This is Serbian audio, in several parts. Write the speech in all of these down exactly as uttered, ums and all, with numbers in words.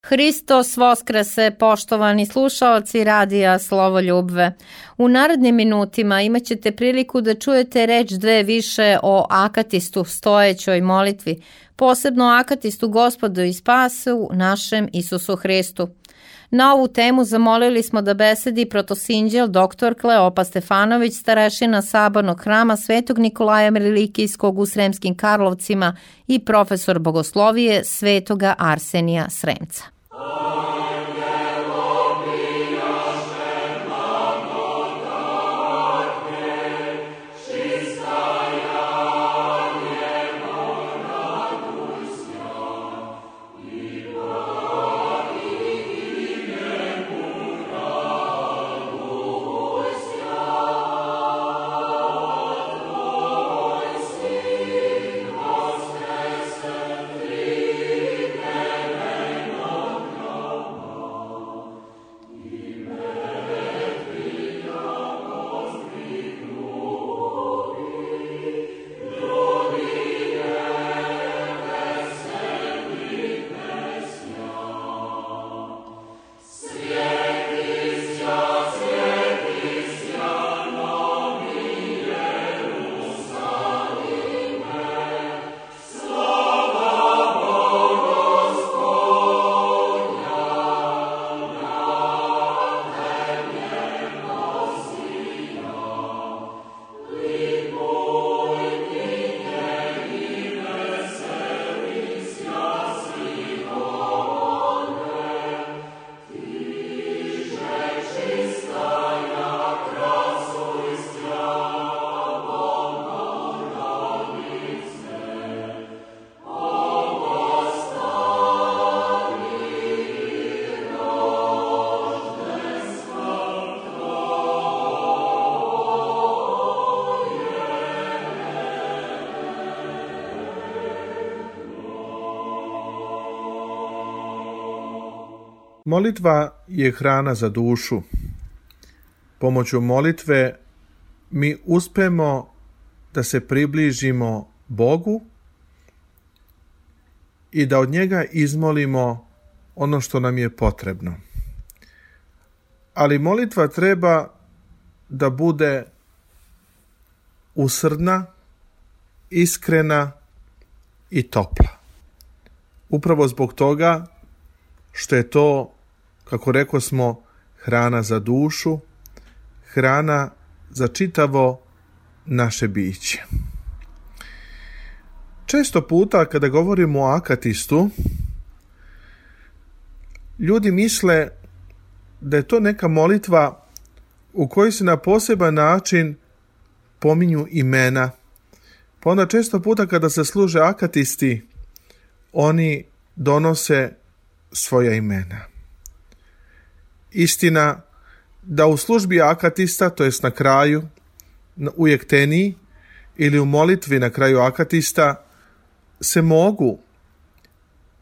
Hristos Voskrese, poštovani slušaoci radija Slovoljubve. U narednim minutima imat ćete priliku da čujete reč dve više o akatistu stojećoj molitvi, posebno akatistu Gospodu i Spasu našem Isusu Hristu. Na ovu temu zamolili smo da besedi protosinđel doktor Kleopa Stefanović, starešina Sabornog hrama Svetog Nikolaja Mirilikijskog u Sremskim Karlovcima i profesor bogoslovije Svetoga Arsenija Sremca. Molitva je hrana za dušu. Pomoću molitve mi uspemo da se približimo Bogu i da od njega izmolimo ono što nam je potrebno. Ali molitva treba da bude usrdna, iskrena i topla. Upravo zbog toga što je to, kako rekao smo, hrana za dušu, hrana za čitavo naše biće. Često puta kada govorimo o akatistu, ljudi misle da je to neka molitva u kojoj se na poseban način pominju imena. Pa onda često puta kada se služe akatisti, oni donose svoja imena. Istina da u službi akatista, to jest na kraju, u jekteniji ili u molitvi na kraju akatista, se mogu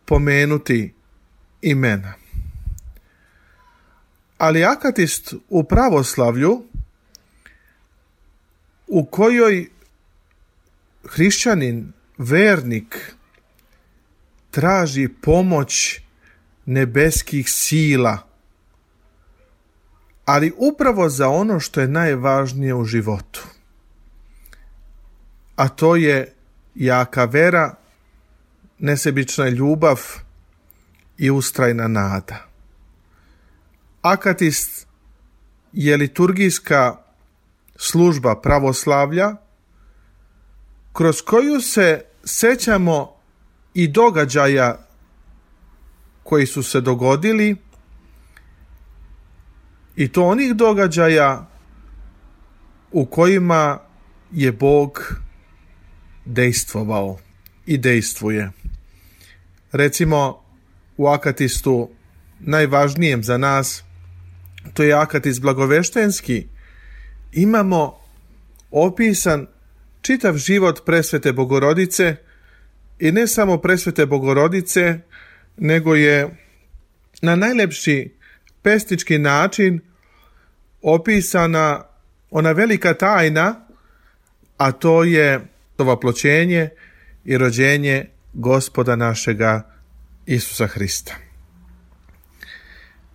pomenuti imena. Ali akatist u pravoslavlju, u kojoj hrišćanin, vernik, traži pomoć nebeskih sila, ali upravo za ono što je najvažnije u životu. A to je jaka vera, nesebična ljubav i ustrajna nada. Akatist je liturgijska služba pravoslavlja kroz koju se sećamo i događaja koji su se dogodili, i to onih događaja u kojima je Bog dejstvovao i dejstvuje. Recimo u akatistu najvažnijem za nas, to je akatist blagoveštenski, imamo opisan čitav život presvete Bogorodice, i ne samo presvete Bogorodice, nego je na najlepši pestički način opisana ona velika tajna, a to je ovaploćenje i rođenje Gospoda našega Isusa Hrista.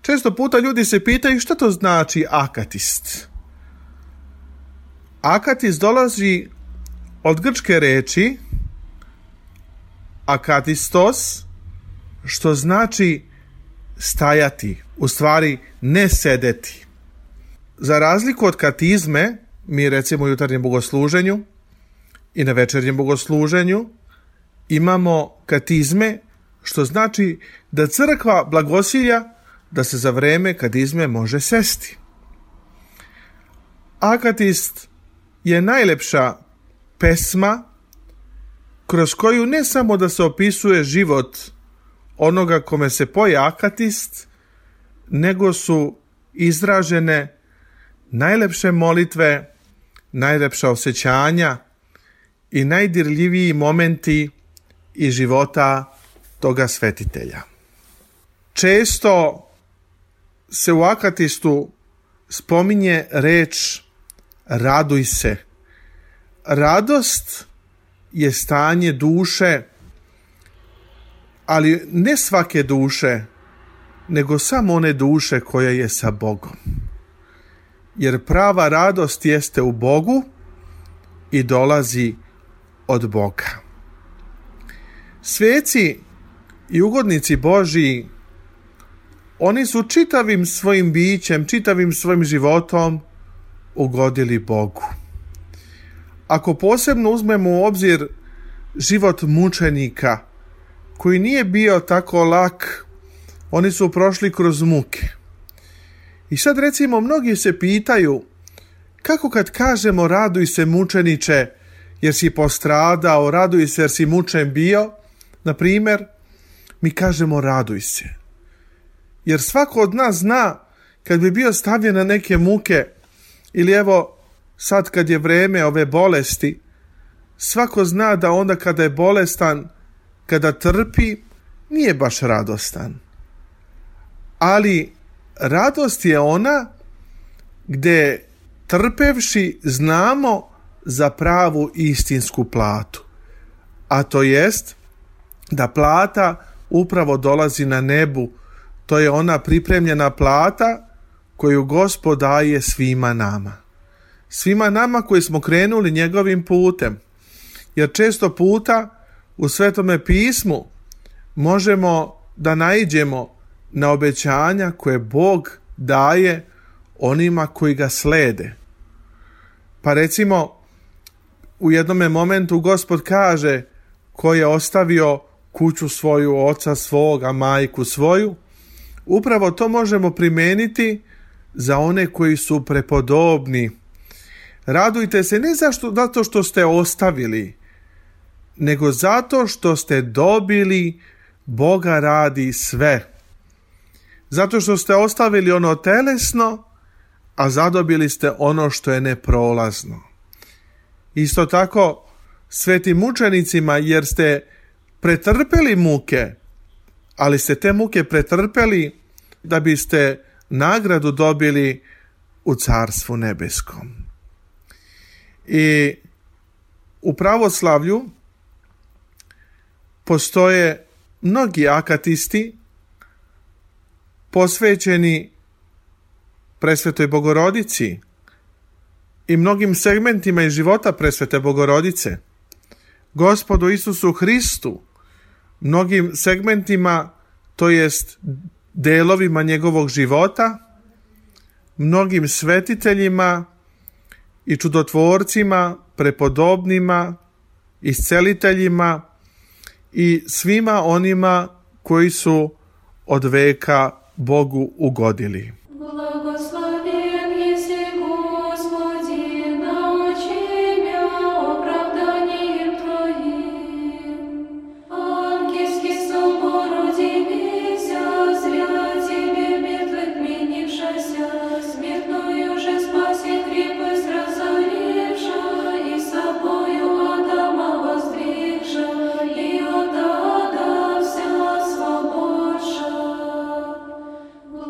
Često puta ljudi se pitaju šta to znači akatist. Akatist dolazi od grčke reči akatistos, što znači stajati, u stvari ne sedeti. Za razliku od katizme, mi recimo u jutarnjem bogosluženju i na večernjem bogosluženju imamo katizme, što znači da crkva blagosilja da se za vreme katizme može sesti. Akatist je najlepša pesma kroz koju ne samo da se opisuje život onoga kome se poje akatist, nego su izražene najlepše molitve, najlepša osjećanja i najdirljiviji momenti iz života toga svetitelja. Često se u akatistu spominje reč raduj se. Radost je stanje duše, ali ne svake duše, nego samo one duše koja je sa Bogom. Jer prava radost jeste u Bogu i dolazi od Boga. Sveci i ugodnici Božji, oni su čitavim svojim bićem, čitavim svojim životom ugodili Bogu. Ako posebno uzmemo u obzir život mučenika, koji nije bio tako lak, oni su prošli kroz muke. I sad recimo mnogi se pitaju kako kad kažemo raduj se mučeniče jer si postradao, raduj se jer si mučen bio, na primjer, mi kažemo raduj se. Jer svako od nas zna kad bi bio stavljen na neke muke ili evo sad kad je vreme ove bolesti, svako zna da onda kada je bolestan, kada trpi, nije baš radostan. Ali radost je ona gdje trpevši znamo za pravu istinsku platu. A to jest da plata upravo dolazi na nebu. To je ona pripremljena plata koju Gospod daje svima nama. Svima nama koji smo krenuli njegovim putem. Jer često puta u Svetome pismu možemo da naiđemo na obećanja koje Bog daje onima koji ga slede. Pa recimo u jednome momentu Gospod kaže ko je ostavio kuću svoju, oca svoga, majku svoju, upravo to možemo primeniti za one koji su prepodobni. Radujte se ne zašto, zato što ste ostavili, nego zato što ste dobili Boga radi sve. Zato što ste ostavili ono telesno, a zadobili ste ono što je neprolazno. Isto tako svetim mučenicima, jer ste pretrpeli muke, ali ste te muke pretrpeli da biste nagradu dobili u Carstvu nebeskom. I u pravoslavlju postoje mnogi akatisti posvećeni Presvetoj Bogorodici i mnogim segmentima iz života Presvete Bogorodice, Gospodu Isusu Hristu, mnogim segmentima, to jest delovima njegovog života, mnogim svetiteljima i čudotvorcima, prepodobnima, isceliteljima i svima onima koji su od veka Bogu ugodili.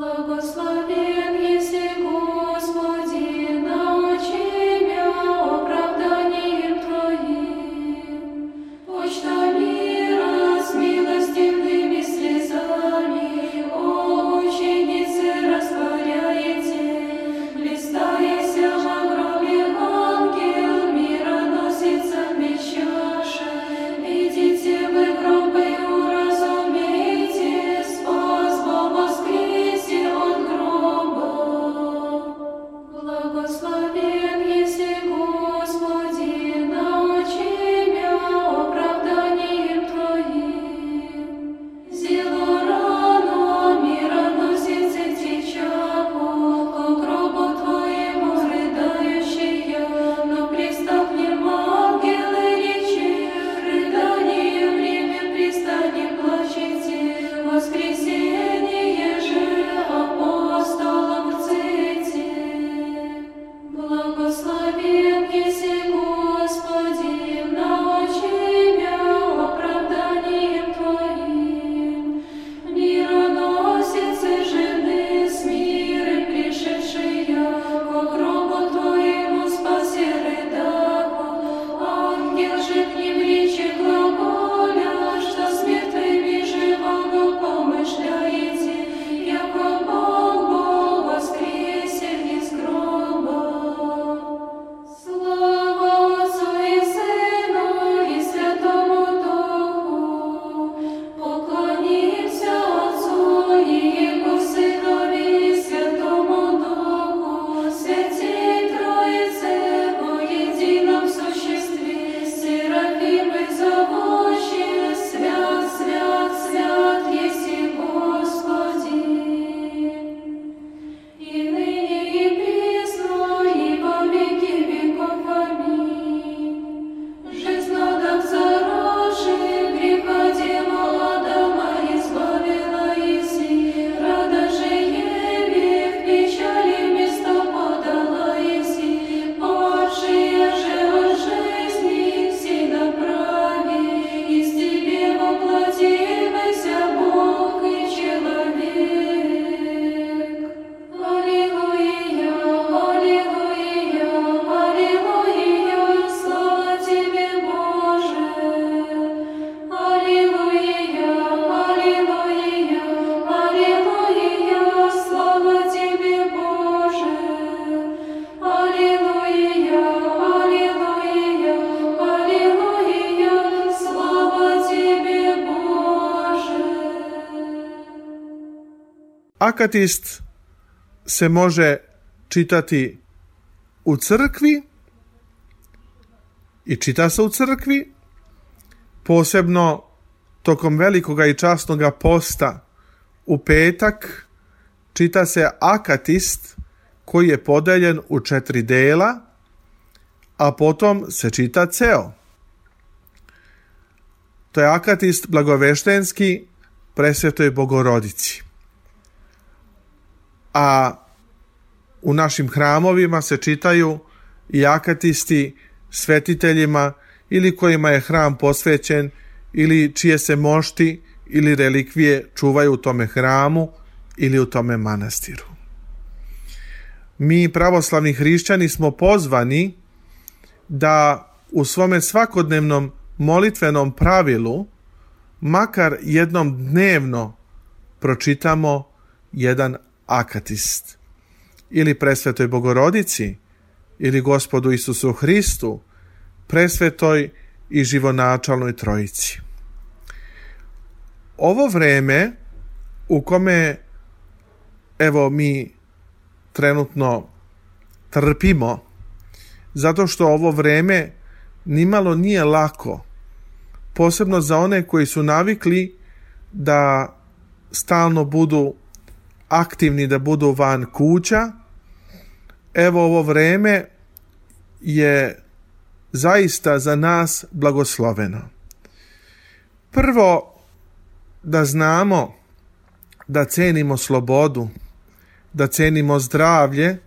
Благослови Akatist se može čitati u crkvi i čita se u crkvi, posebno tokom velikoga i časnoga posta u petak čita se akatist koji je podeljen u četiri dela, a potom se čita ceo. To je akatist blagoveštenski Presvetoj Bogorodici. A u našim hramovima se čitaju i akatisti svetiteljima ili kojima je hram posvećen ili čije se mošti ili relikvije čuvaju u tome hramu ili u tome manastiru. Mi pravoslavni hrišćani smo pozvani da u svome svakodnevnom molitvenom pravilu makar jednom dnevno pročitamo jedan akatist ili Presvetoj Bogorodici ili Gospodu Isusu Hristu, Presvetoj i Živonačalnoj Trojici. Ovo vreme u kome evo mi trenutno trpimo, zato što ovo vreme nimalo nije lako, posebno za one koji su navikli da stalno budu aktivni, da budu van kuća. Evo ovo vreme je zaista za nas blagosloveno. Prvo, da znamo da cenimo slobodu, da cenimo zdravlje,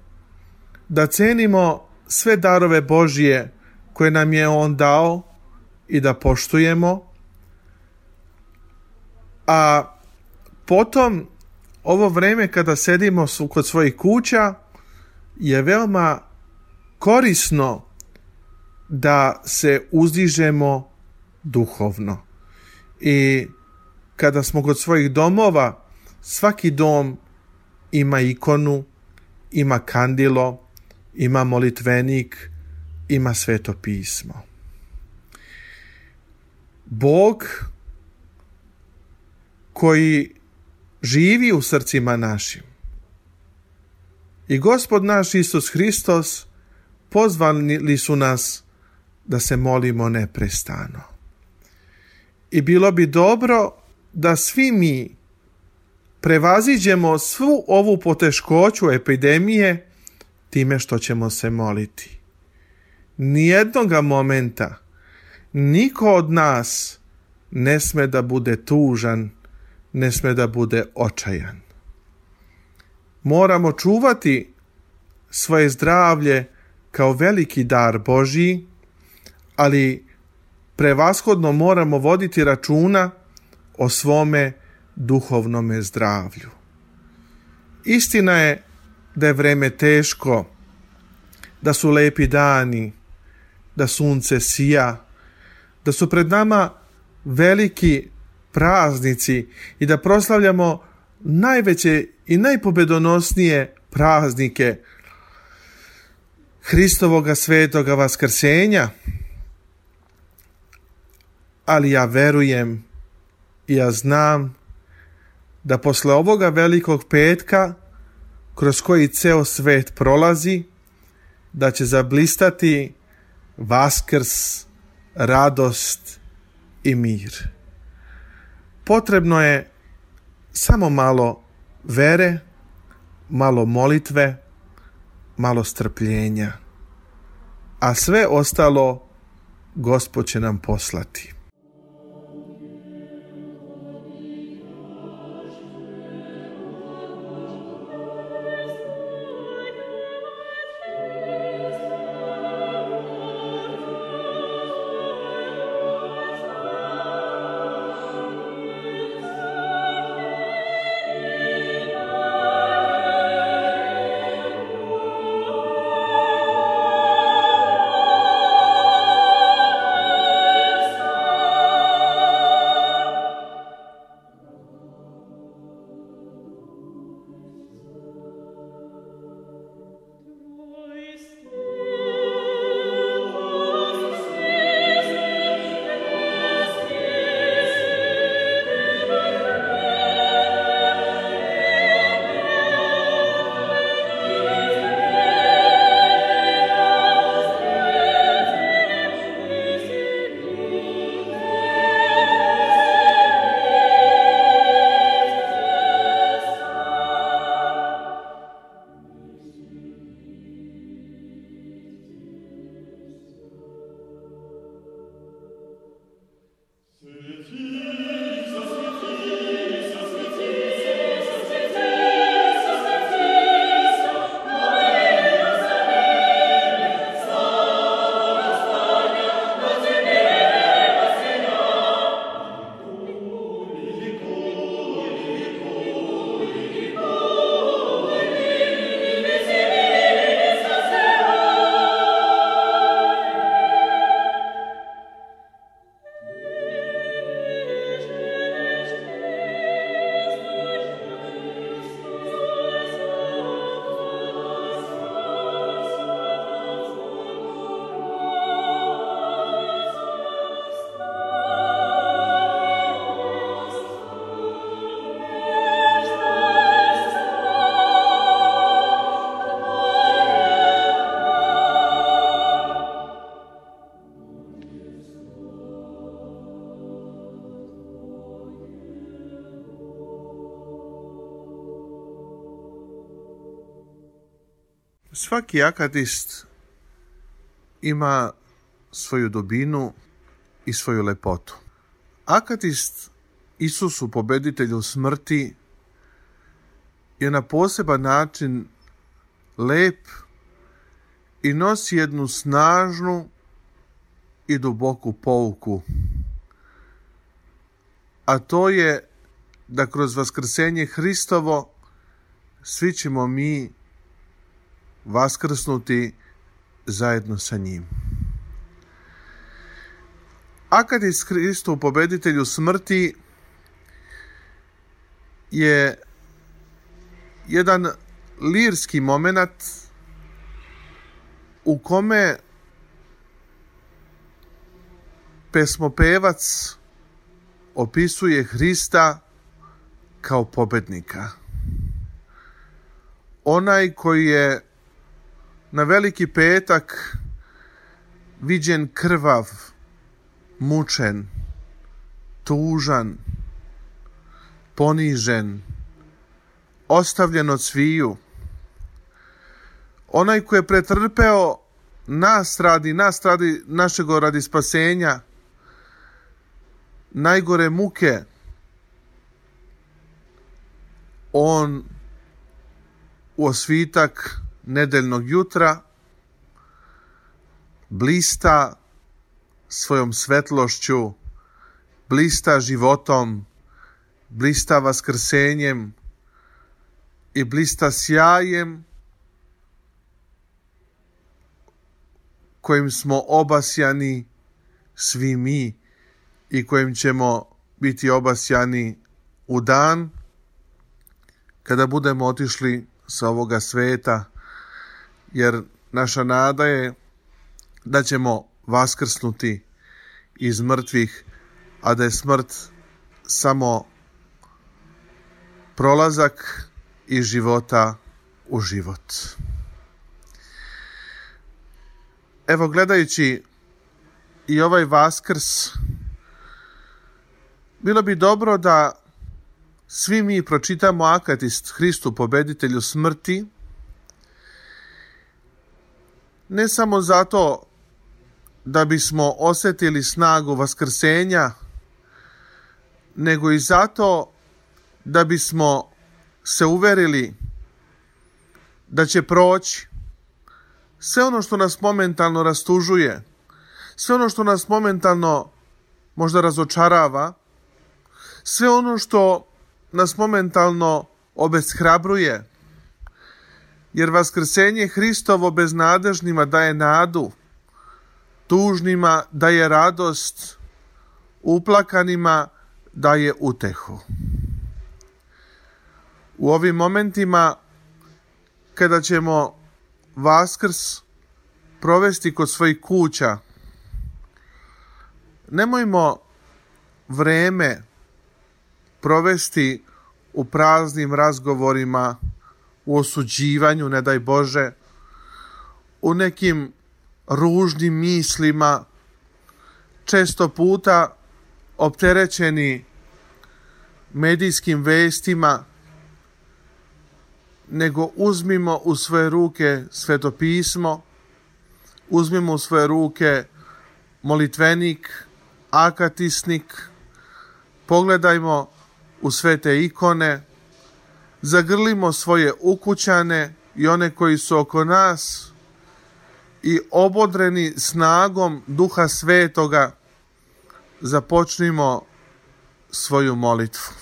da cenimo sve darove Božje koje nam je On dao i da poštujemo. A potom, ovo vreme kada sedimo kod svojih kuća je veoma korisno da se uzdižemo duhovno. I kada smo kod svojih domova, svaki dom ima ikonu, ima kandilo, ima molitvenik, ima sveto pismo. Bog koji živi u srcima našim i Gospod naš Isus Hristos pozvali su nas da se molimo neprestano. I bilo bi dobro da svi mi prevaziđemo svu ovu poteškoću epidemije time što ćemo se moliti. Nijednoga momenta niko od nas ne sme da bude tužan, ne sme da bude očajan. Moramo čuvati svoje zdravlje kao veliki dar Božji, ali prevashodno moramo voditi računa o svome duhovnome zdravlju. Istina je da je vreme teško, da su lepi dani, da sunce sija, da su pred nama veliki praznici i da proslavljamo najveće i najpobedonosnije praznike Hristovoga svetoga vaskrsenja. Ali ja verujem i ja znam da posle ovoga velikog petka kroz koji ceo svet prolazi, da će zablistati Vaskrs, radost i mir. Potrebno je samo malo vere, malo molitve, malo strpljenja, a sve ostalo Gospod će nam poslati. Amen. Svaki akatist ima svoju dubinu i svoju lepotu. Akatist Isusu, pobeditelju smrti, je na poseban način lep i nosi jednu snažnu i duboku pouku. A to je da kroz vaskrsenje Hristovo svi ćemo mi vaskrsnuti zajedno sa njim. Akatist Hristu, pobeditelju smrti, je jedan lirski moment u kome pesmopevac opisuje Hrista kao pobednika. Onaj koji je na Veliki petak viđen krvav, mučen, tužan, ponižen, ostavljen od sviju. Onaj koji je pretrpeo nas radi, nas radi našeg radi spasenja, najgore muke, on u osvitak nedeljnog jutra blista svojom svetlošću, blista životom, blista vaskrsenjem i blista sjajem kojim smo obasjani svi mi i kojim ćemo biti obasjani u dan kada budemo otišli sa ovoga sveta, jer naša nada je da ćemo vaskrsnuti iz mrtvih, a da je smrt samo prolazak iz života u život. Evo, gledajući i ovaj Vaskrs, bilo bi dobro da svi mi pročitamo Akatist Hristu, pobeditelju smrti, ne samo zato da bismo osjetili snagu vaskrsenja, nego i zato da bismo se uverili da će proći sve ono što nas momentalno rastužuje, sve ono što nas momentalno možda razočarava, sve ono što nas momentalno obeshrabruje, jer vaskrsenje Hristovo beznadežnima daje nadu, tužnima daje radost, uplakanima daje utehu. U ovim momentima kada ćemo Vaskrs provesti kod svojih kuća, nemojmo vreme provesti u praznim razgovorima, u osuđivanju, ne daj Bože, u nekim ružnim mislima, često puta opterećeni medijskim vestima, nego uzmimo u svoje ruke Sveto pismo, uzmimo u svoje ruke molitvenik, akatisnik, pogledajmo u svete ikone, zagrlimo svoje ukućane i one koji su oko nas i obodreni snagom Duha Svetoga započnimo svoju molitvu.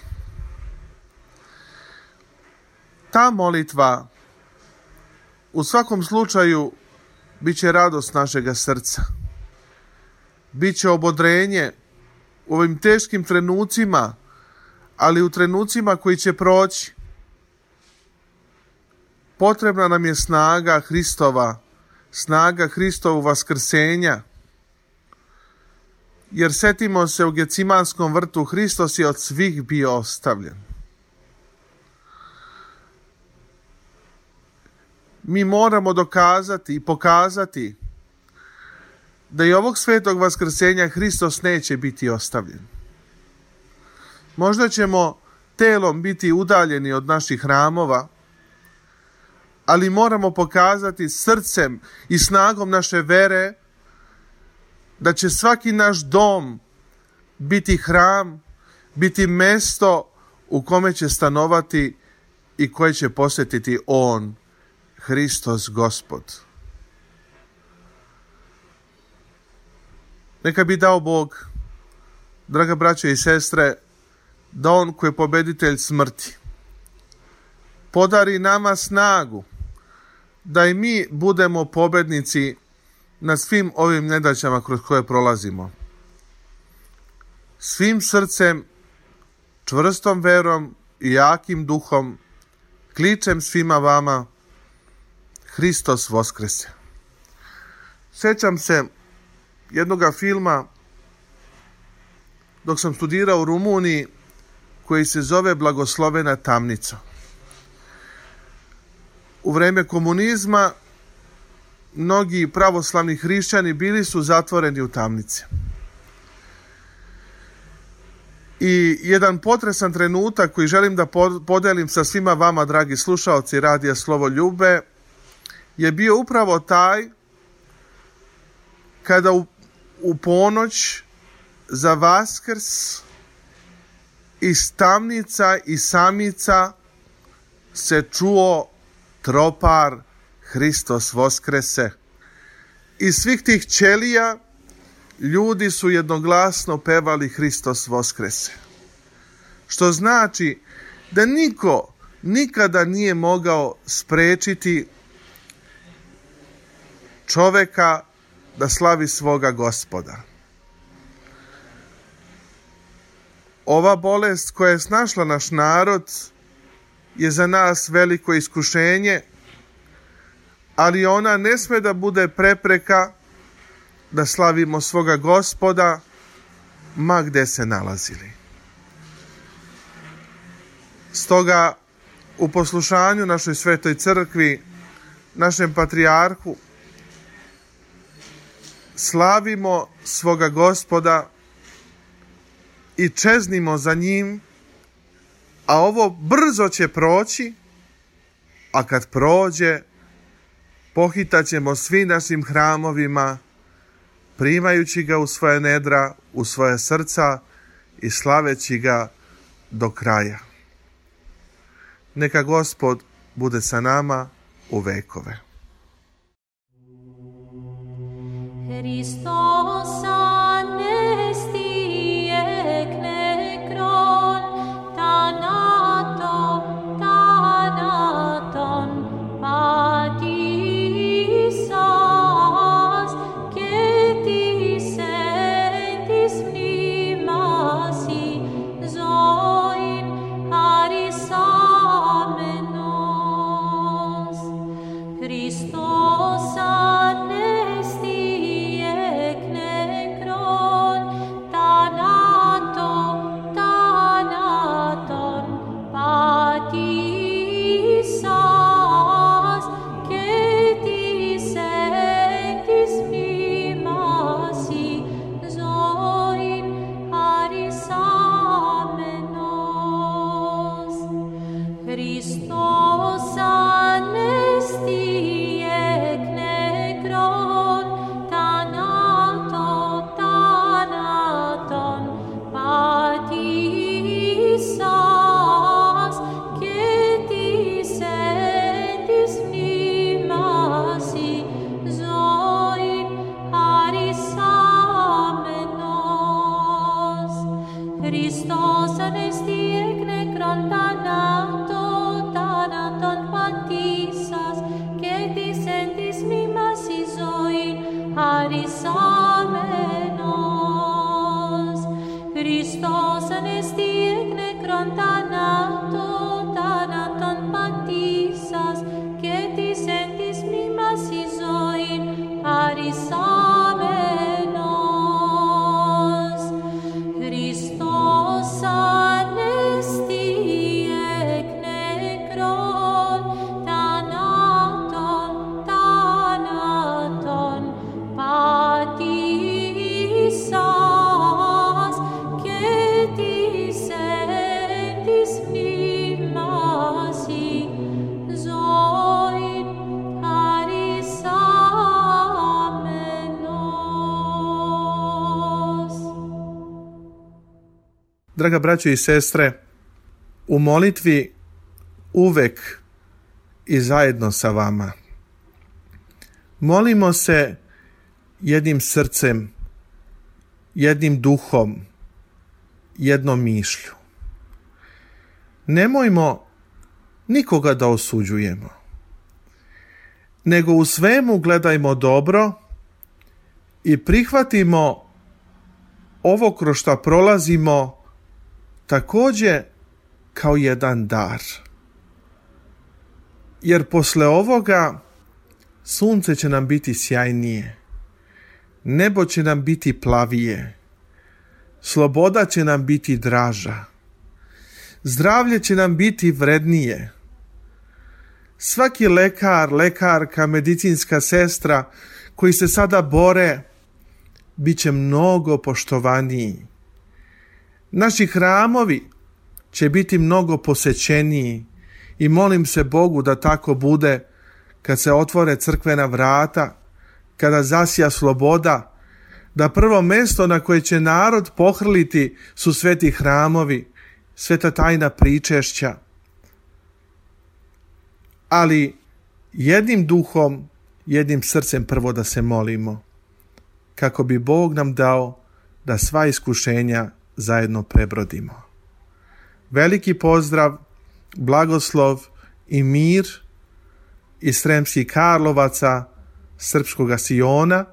Ta molitva u svakom slučaju bit će radost našega srca. Biće obodrenje u ovim teškim trenucima, ali u trenucima koji će proći. Potrebna nam je snaga Hristova, snaga Hristovog vaskrsenja. Jer setimo se, u Gecimanskom vrtu Hristos je od svih bio ostavljen. Mi moramo dokazati i pokazati da i ovog svetog vaskrsenja Hristos neće biti ostavljen. Možda ćemo telom biti udaljeni od naših hramova, ali moramo pokazati srcem i snagom naše vere da će svaki naš dom biti hram, biti mesto u kome će stanovati i koje će posjetiti On, Hristos Gospod. Neka bi dao Bog, draga braćo i sestre, da On koji je pobeditelj smrti podari nama snagu da i mi budemo pobednici na svim ovim nedaćama kroz koje prolazimo. Svim srcem, čvrstom verom i jakim duhom kličem svima vama: Hristos Voskrese. Sjećam se jednoga filma dok sam studirao u Rumuniji koji se zove Blagoslovena tamnica. U vreme komunizma mnogi pravoslavni hrišćani bili su zatvoreni u tamnici. I jedan potresan trenutak koji želim da podelim sa svima vama, dragi slušaoci Radija Slovo Ljubve, je bio upravo taj kada u, u ponoć za Vaskrs iz tamnica i samica se čuo tropar Hristos Voskrese. Iz svih tih ćelija ljudi su jednoglasno pevali Hristos Voskrese. Što znači da niko nikada nije mogao sprečiti čoveka da slavi svoga Gospoda. Ova bolest koja je snašla naš narod je za nas veliko iskušenje, ali ona ne sme da bude prepreka da slavimo svoga Gospoda ma gde se nalazili. Stoga u poslušanju našoj svetoj crkvi, našem patrijarhu, slavimo svoga Gospoda i čeznimo za njim, a ovo brzo će proći, a kad prođe, pohitaćemo svi našim hramovima, primajući ga u svoje nedra, u svoje srca i slaveći ga do kraja. Neka Gospod bude sa nama u vekove. Hristos anesti ek nekron, thanaton, thanaton, patisas, ketis entis mnimasi, zoin harisamenos. Hristos anesti ek nekron, draga braćo i sestre, u molitvi uvek i zajedno sa vama. Molimo se jednim srcem, jednim duhom, jednom mišlju. Nemojmo nikoga da osuđujemo, nego u svemu gledajmo dobro i prihvatimo ovo kroz što prolazimo također kao jedan dar. Jer posle ovoga sunce će nam biti sjajnije, nebo će nam biti plavije, sloboda će nam biti draža, zdravlje će nam biti vrednije. Svaki lekar, lekarka, medicinska sestra koji se sada bore, bit će mnogo poštovaniji. Naši hramovi će biti mnogo posećeniji i molim se Bogu da tako bude kad se otvore crkvena vrata, kada zasja sloboda, da prvo mjesto na koje će narod pohrliti su sveti hramovi, sveta tajna pričešća. Ali jednim duhom, jednim srcem prvo da se molimo, kako bi Bog nam dao da sva iskušenja zajedno prebrodimo. Veliki pozdrav, blagoslov i mir iz Sremskih Karlovaca, srpskoga Siona.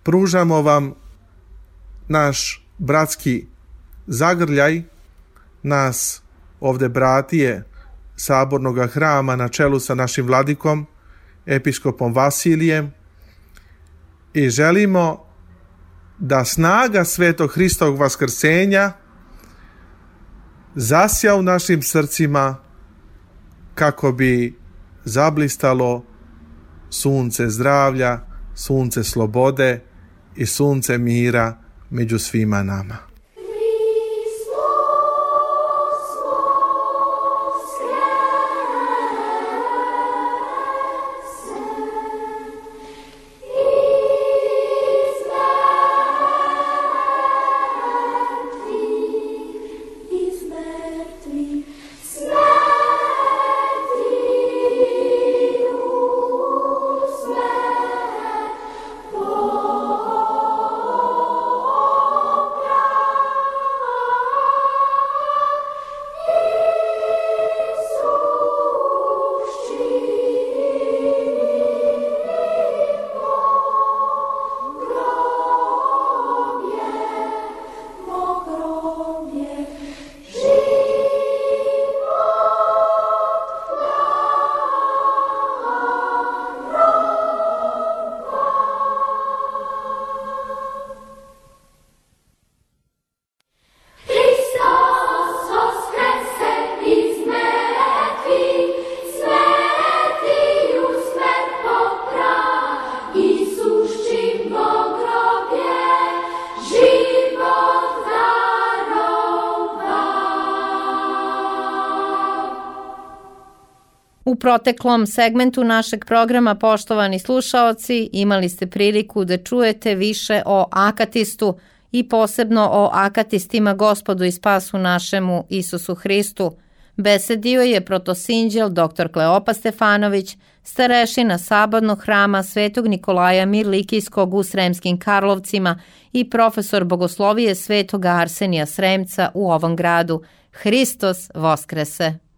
Pružamo vam naš bratski zagrljaj, nas ovde bratije Sabornog hrama na čelu sa našim vladikom, episkopom Vasilijem, i želimo da snaga Svetog Hristovog vaskrsenja zasja u našim srcima kako bi zablistalo sunce zdravlja, sunce slobode i sunce mira među svima nama. U proteklom segmentu našeg programa, poštovani slušaoci, imali ste priliku da čujete više o akatistu i posebno o akatistima Gospodu i spasu našemu Isusu Hristu. Besedio je protosinđel doktor Kleopa Stefanović, starešina Sabornog hrama Svetog Nikolaja Mirlikijskog u Sremskim Karlovcima i profesor bogoslovije Svetoga Arsenija Sremca u ovom gradu. Hristos Voskrese!